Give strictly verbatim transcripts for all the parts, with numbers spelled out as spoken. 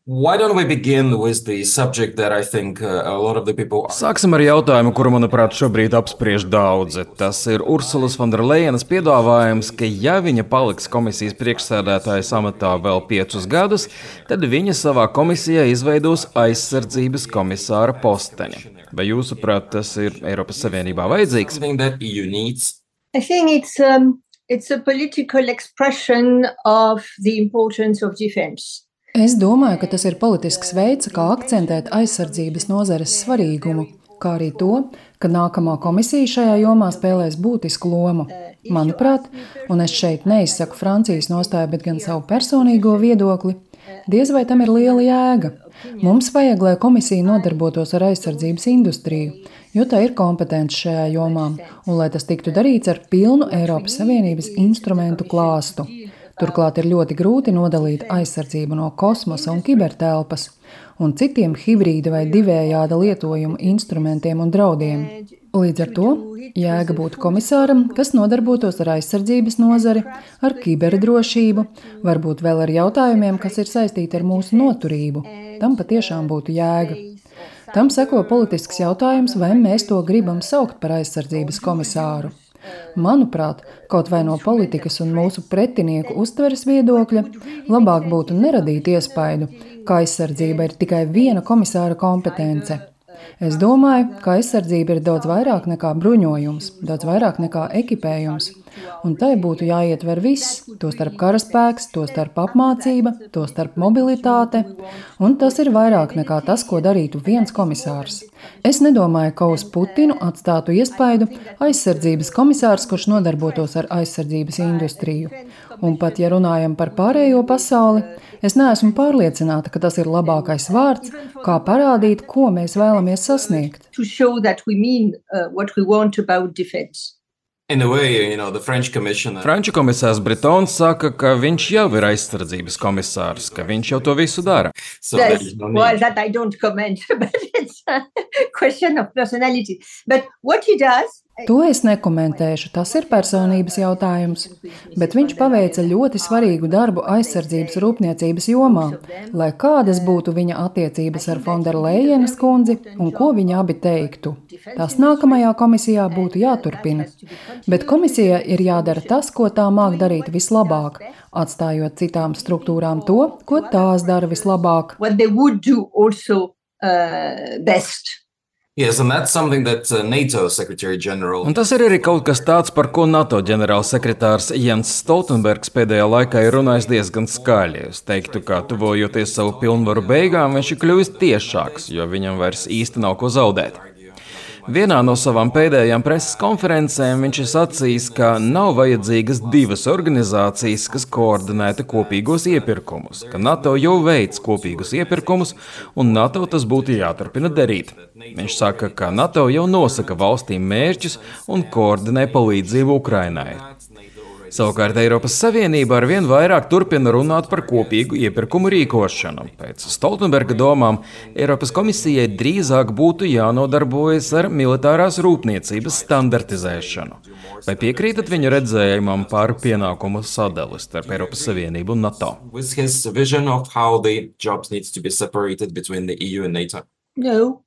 Why don't we begin with the subject that I think uh, a lot of the people are. Sāksim ar jautājumu, kuru, manuprāt, šobrīd apspriež daudzi. Tas ir Ursulas Fonderlejenas piedāvājums, ka, ja viņa paliks komisijas priekšsēdētājas amatā vēl piecus gadus, tad viņa savā komisijā izveidos aizsardzības komisāra posteni. Vai jūsuprāt, tas ir Eiropas Savienībā vajadzīgs? Something that E U needs. I think it's um, it's a political expression of the importance of defense. Es domāju, ka tas ir politisks veids, kā akcentēt aizsardzības nozares svarīgumu, kā arī to, ka nākamā komisija šajā jomā spēlēs būtisku lomu. Manuprāt, un es šeit neizsaku Francijas nostāju, bet gan savu personīgo viedokli, diez vai tam ir liela jēga. Mums vajag, lai komisija nodarbotos ar aizsardzības industriju, jo tā ir kompetence šajā jomā, un lai tas tiktu darīts ar pilnu Eiropas Savienības instrumentu klāstu. Turklāt ir ļoti grūti nodalīt aizsardzību no kosmosa un kibertelpas un citiem hibrīda vai divējāda lietojuma instrumentiem un draudiem. Līdz ar to jēga būtu komisāram, kas nodarbotos ar aizsardzības nozari, ar kiberdrošību, varbūt vēl ar jautājumiem, kas ir saistīti ar mūsu noturību. Tam patiešām būtu jēga. Tam seko politisks jautājums, vai mēs to gribam saukt par aizsardzības komisāru. Manuprāt, kaut vai no politikas un mūsu pretinieku uztveres viedokļa, labāk būtu neradīt iespaidu, ka aizsardzība ir tikai viena komisāra kompetence. Es domāju, ka aizsardzība ir daudz vairāk nekā bruņojums, daudz vairāk nekā ekipējums, un tai būtu jāietver viss, tostarp karaspēks, tostarp apmācība, tostarp mobilitāte, un tas ir vairāk nekā tas, ko darītu viens komisārs. Es nedomāju, ka uz Putinu atstātu iespaidu aizsardzības komisārs, kurš nodarbotos ar aizsardzības industriju. Un pat, ja runājam par pārējo pasauli, es neesmu pārliecināta, ka tas ir labākais vārds, kā parādīt, ko mēs vēlamies sasniegt. To show that we mean uh, what we want about defense. In a way, you know, the French commissioner. Franču komisārs Bretons saka, ka viņš jau ir aizsardzības komisārs, ka viņš jau to visu dara. So there Yes, is no well, need. that I don't comment, but it's a question of personality. But what he does, To es nekomentēšu, tas ir personības jautājums, bet viņš paveica ļoti svarīgu darbu aizsardzības rūpniecības jomā, lai kādas būtu viņa attiecības ar Fonderlejenas kundzi un ko viņi abi teiktu. Tas nākamajā komisijā būtu jāturpina, bet komisijai ir jādara tas, ko tā māk darīt vislabāk, atstājot citām struktūrām to, ko tās dara vislabāk. what they would do also uh, best. Yes, and that's something that uh, NATO Secretary General. Un tas ir arī kaut kas tāds, par ko NATO ģenerālsekretārs Jens Stoltenbergs pēdējā laikā ir runājis diezgan skaļi. Es teiktu, ka tuvojoties savu pilnvaru beigām, viņš ir kļuvis tiešāks, jo viņam vairs īsti nav ko zaudēt. Vienā no savām pēdējām preses konferencēm viņš ir sacījis, ka nav vajadzīgas divas organizācijas, kas koordinētu kopīgos iepirkumus, ka NATO jau veic kopīgus iepirkumus, un NATO tas būtu jāturpina darīt. Viņš saka, ka NATO jau nosaka valstīm mērķus un koordinē palīdzību Ukrainai. Savukārt Eiropas Savienība arvien vairāk turpina runāt par kopīgu iepirkumu rīkošanu. Pēc Stoltenberga domām Eiropas komisijai drīzāk būtu jānodarbojas ar militārās rūpniecības standartizēšanu. Vai piekrītat viņa redzējumam par pienākumu sadali starp Eiropas Savienību un NATO? With his vision of how the jobs needs to be separated between the E U and NATO. No,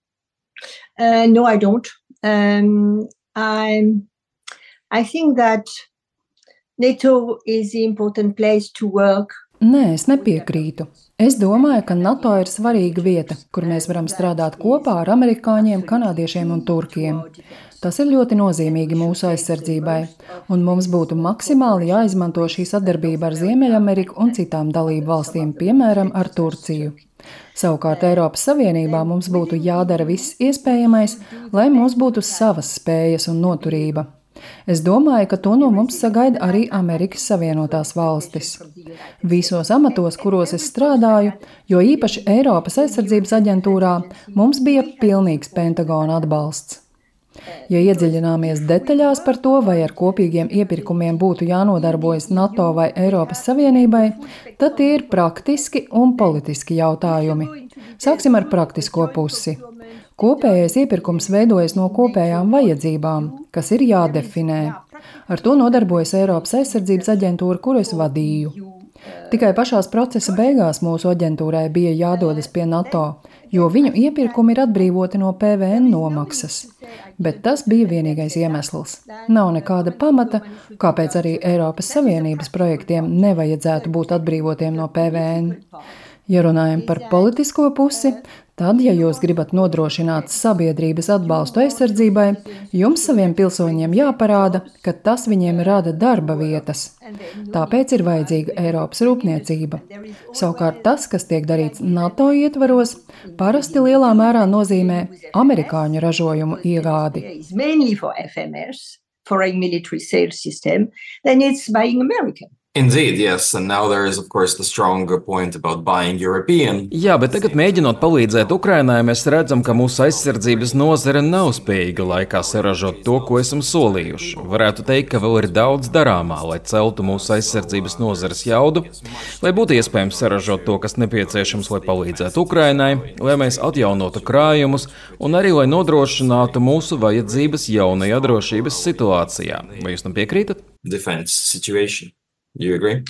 uh, no, I don't. Um, I'm, I think that NATO is the important place to work. Nē, es nepiekrītu. Es domāju, ka NATO ir svarīga vieta, kur mēs varam strādāt kopā ar amerikāņiem, kanādiešiem un turkiem. Tas ir ļoti nozīmīgi mūsu aizsardzībai, un mums būtu maksimāli jāizmanto šī sadarbība ar Ziemeļameriku un citām dalību valstīm, piemēram, ar Turciju. Savukārt Eiropas Savienībā mums būtu jādara viss iespējamais, lai mums būtu savas spējas un noturība. Es domāju, ka to no mums sagaida arī Amerikas Savienotās valstis. Visos amatos, kuros es strādāju, jo īpaši Eiropas aizsardzības aģentūrā, mums bija pilnīgs Pentagona atbalsts. Ja iedziļināmies detaļās par to, vai ar kopīgiem iepirkumiem būtu jānodarbojas NATO vai Eiropas Savienībai, tad tie ir praktiski un politiski jautājumi. Sāksim ar praktisko pusi. Kopējais iepirkums veidojas no kopējām vajadzībām, kas ir jādefinē. Ar to nodarbojas Eiropas aizsardzības aģentūra, kuru es vadīju. Tikai pašās procesa beigās mūsu aģentūrai bija jādodas pie NATO, jo viņu iepirkumi ir atbrīvoti no P V N nomaksas. Bet tas bija vienīgais iemesls. Nav nekāda pamata, kāpēc arī Eiropas Savienības projektiem nevajadzētu būt atbrīvotiem no P V N. Ja runājam par politisko pusi, tad, ja jūs gribat nodrošināt sabiedrības atbalstu aizsardzībai, jums saviem pilsoņiem jāparāda, ka tas viņiem rada darba vietas. Tāpēc ir vajadzīga Eiropas rūpniecība. Savukārt tas, kas tiek darīts NATO ietvaros, parasti lielā mērā nozīmē amerikāņu ražojumu iegādi. Indeed, yes, and now there is of course the strong point about buying European. Jā, bet tagad mēģinot palīdzēt Ukrainai, mēs redzam, ka mūsu aizsardzības nozare nav spējīga laikā saražot to, ko esam solījuši. Varētu teikt, ka vēl ir daudz darāmā, lai celtu mūsu aizsardzības nozares jaudu, lai būtu iespējams saražot to, kas nepieciešams, lai palīdzētu Ukrainai, lai mēs atjaunotu krājumus un arī lai nodrošinātu mūsu vajadzības jaunajā drošības situācijā. Vai jūs tam piekrītat? Defense situation. Do you agree?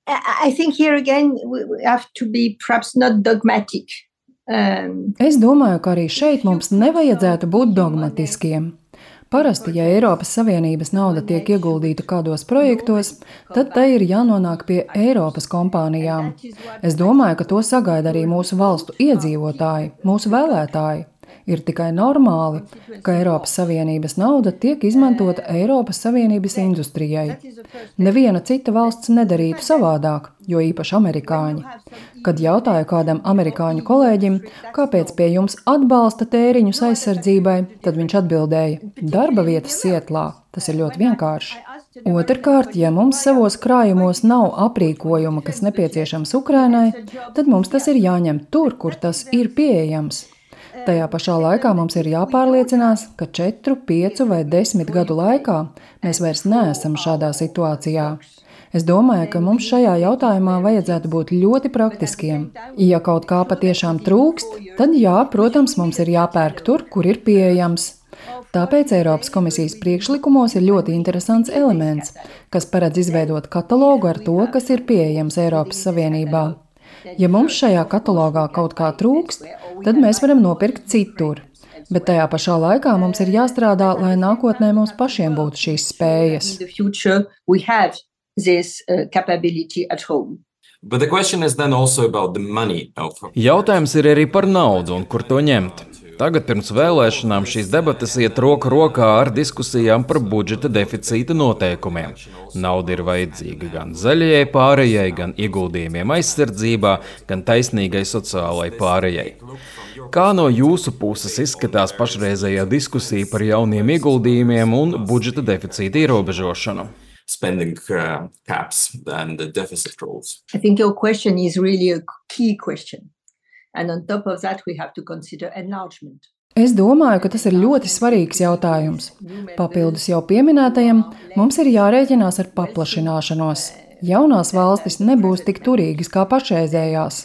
I think here again we have to be perhaps not dogmatic. Um, es domāju, ka arī šeit mums nevajadzētu būt dogmatiskiem. Parasti, ja Eiropas Savienības nauda tiek ieguldīta kādos projektos, tad tai ir jānonāk pie Eiropas kompānijām. Es domāju, ka to sagaida arī mūsu valstu iedzīvotāji, mūsu vēlētāji. Ir tikai normāli, ka Eiropas Savienības nauda tiek izmantota Eiropas Savienības industrijai. Neviena cita valsts nedarītu savādāk, jo īpaši amerikāņi. Kad jautāju kādam amerikāņu kolēģim, kāpēc pie jums atbalsta tēriņus aizsardzībai, tad viņš atbildēja: darba vietas Sietlā. Tas ir ļoti vienkārši. Otrkārt, ja mums savos krājumos nav aprīkojuma, kas nepieciešams Ukrainai, tad mums tas ir jāņem tur, kur tas ir pieejams. Tajā pašā laikā mums ir jāpārliecinās, ka četru, piecu vai desmit gadu laikā mēs vairs neesam šādā situācijā. Es domāju, ka mums šajā jautājumā vajadzētu būt ļoti praktiskiem. Ja kaut kā patiešām trūkst, tad jā, protams, mums ir jāpērk tur, kur ir pieejams. Tāpēc Eiropas komisijas priekšlikumos ir ļoti interesants elements, kas paredz izveidot katalogu ar to, kas ir pieejams Eiropas Savienībā. Ja mums šajā katalogā kaut kā trūkst, tad mēs varam nopirkt citur. Bet tajā pašā laikā mums ir jāstrādā, lai nākotnē mums pašiem būtu šīs spējas. But the question is then also about the money. Jautājums ir arī par naudu un kur to ņemt. Tagad pirms vēlēšanām šīs debates iet roku rokā ar diskusijām par budžeta deficīta noteikumiem. Nauda ir vajadzīga gan zaļajai pārējai, gan ieguldījumiem aizsardzībā, gan taisnīgai sociālai pārējai. Kā no jūsu puses izskatās pašreizējā diskusija par jauniem ieguldījumiem un budžeta deficīta ierobežošanu? Spending uh, caps and the deficit rules. I think your question is really a key question. And on top of that, we have to consider enlargement. Es domāju, ka tas ir ļoti svarīgs jautājums. Papildus jau pieminētajam, mums ir jārēķinās ar paplašināšanos. Jaunās valstis nebūs tik turīgas kā pašreizējās.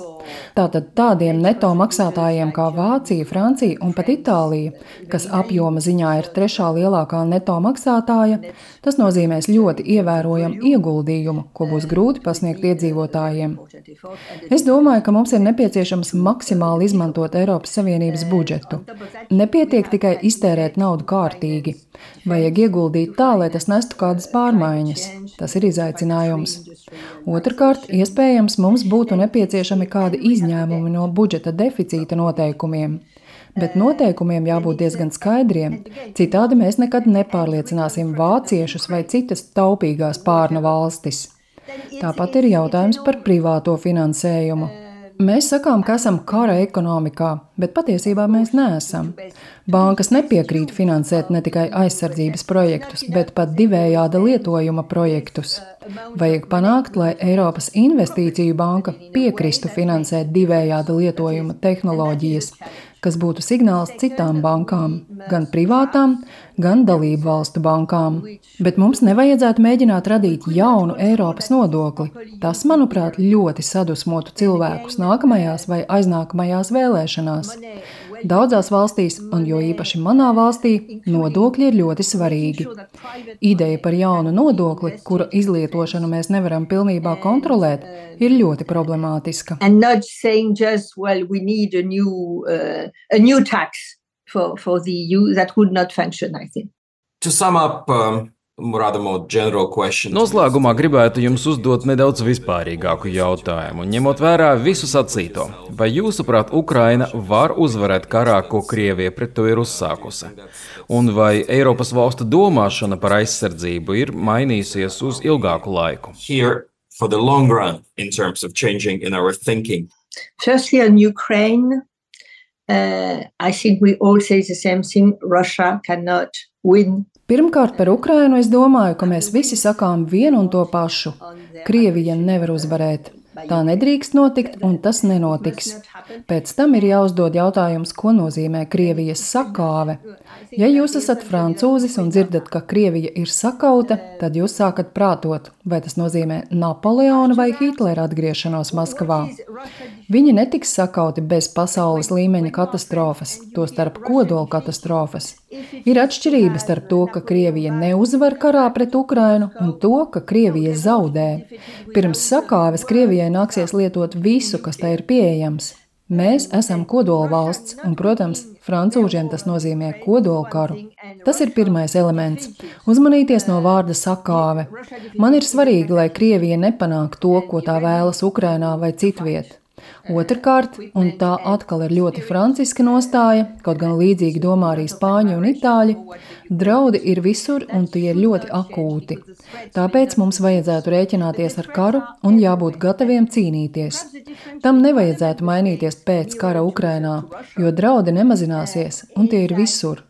Tātad tādiem neto maksātājiem kā Vācija, Francija un pat Itālija, kas apjoma ziņā ir trešā lielākā neto maksātāja, tas nozīmēs ļoti ievērojamu ieguldījumu, ko būs grūti pasniegt iedzīvotājiem. Es domāju, ka mums ir nepieciešams maksimāli izmantot Eiropas Savienības budžetu. Nepietiek tikai iztērēt naudu kārtīgi. Vajag ieguldīt tā, lai tas nestu kādas pārmaiņas. Tas ir izaicinājums. Otrkārt, iespējams, mums būtu nepieciešami kādi izņēmumi no budžeta deficīta noteikumiem. Bet noteikumiem jābūt diezgan skaidriem, citādi mēs nekad nepārliecināsim vāciešus vai citas taupīgās pārnu valstis. Tāpat ir jautājums par privāto finansējumu. Mēs sakām, ka esam kara ekonomikā, bet patiesībā mēs neesam. Bankas nepiekrīt finansēt ne tikai aizsardzības projektus, bet pat divējāda lietojuma projektus. Vajag panākt, lai Eiropas Investīciju banka piekristu finansēt divējāda lietojuma tehnoloģijas, kas būtu signāls citām bankām, gan privātām, gan dalību valstu bankām. Bet mums nevajadzētu mēģināt radīt jaunu Eiropas nodokli. Tas, manuprāt, ļoti sadusmotu cilvēkus nākamajās vai aiznākamajās vēlēšanās. Daudzās valstīs, un jo īpaši manā valstī, nodokļi ir ļoti svarīgi. Ideja par jaunu nodokli, kura izlietošanu mēs nevaram pilnībā kontrolēt, ir ļoti problemātiska. And not saying just, well, we need a new, uh, a new tax for, for the E U, that would not function, I think. To sum up, um, rather more general question. Noslēgumā gribētu jums uzdot nedaudz vispārīgāku jautājumu, ņemot vērā visu sacīto. Vai jūsuprāt, Ukraina var uzvarēt karā, ko Krievija pret to ir uzsākusi? Un vai Eiropas valstu domāšana par aizsardzību ir mainījusies uz ilgāku laiku? Here for the long run in terms of changing in our thinking. Firstly, on Ukraine, uh, I think we all say the same thing. Russia cannot win. Pirmkārt, par Ukrainu es domāju, ka mēs visi sakām vienu un to pašu. Krievija nevar uzvarēt. Tā nedrīkst notikt, un tas nenotiks. Pēc tam ir jāuzdod jautājums, ko nozīmē Krievijas sakāve. Ja jūs esat francūzis un dzirdat, ka Krievija ir sakauta, tad jūs sākat prātot, vai tas nozīmē Napoleona vai Hitlera atgriešanos Maskavā. Viņi netiks sakauti bez pasaules līmeņa katastrofas, to starp kodola katastrofas. Ir atšķirība starp to, ka Krievija neuzvar karā pret Ukrainu, un to, ka Krievija zaudē. Pirms sakāves Krievijai nāksies lietot visu, kas tai ir pieejams. Mēs esam kodola valsts, un, protams, francūžiem tas nozīmē kodola karu. Tas ir pirmais elements – uzmanīties no vārda sakāve. Man ir svarīgi, lai Krievija nepanāk to, ko tā vēlas Ukrainā vai citviet. Otrkārt, un tā atkal ir ļoti franciska nostāja, kaut gan līdzīgi domā arī spāņi un itāļi, draudi ir visur un tie ir ļoti akūti. Tāpēc mums vajadzētu rēķināties ar karu un jābūt gataviem cīnīties. Tam nevajadzētu mainīties pēc kara Ukrainā, jo draudi nemazināsies un tie ir visur.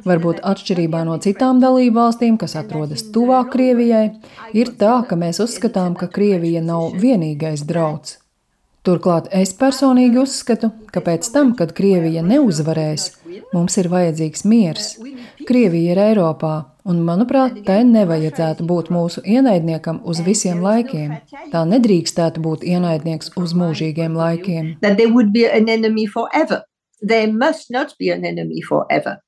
Varbūt atšķirībā no citām dalību valstīm, kas atrodas tuvāk Krievijai, ir tā, ka mēs uzskatām, ka Krievija nav vienīgais drauds. Turklāt es personīgi uzskatu, ka pēc tam, kad Krievija neuzvarēs, mums ir vajadzīgs miers. Krievija ir Eiropā, un, manuprāt, tai nevajadzētu būt mūsu ienaidniekam uz visiem laikiem. Tā nedrīkstētu būt ienaidnieks uz mūžīgiem laikiem. That they would be an enemy forever. They must not be an enemy forever.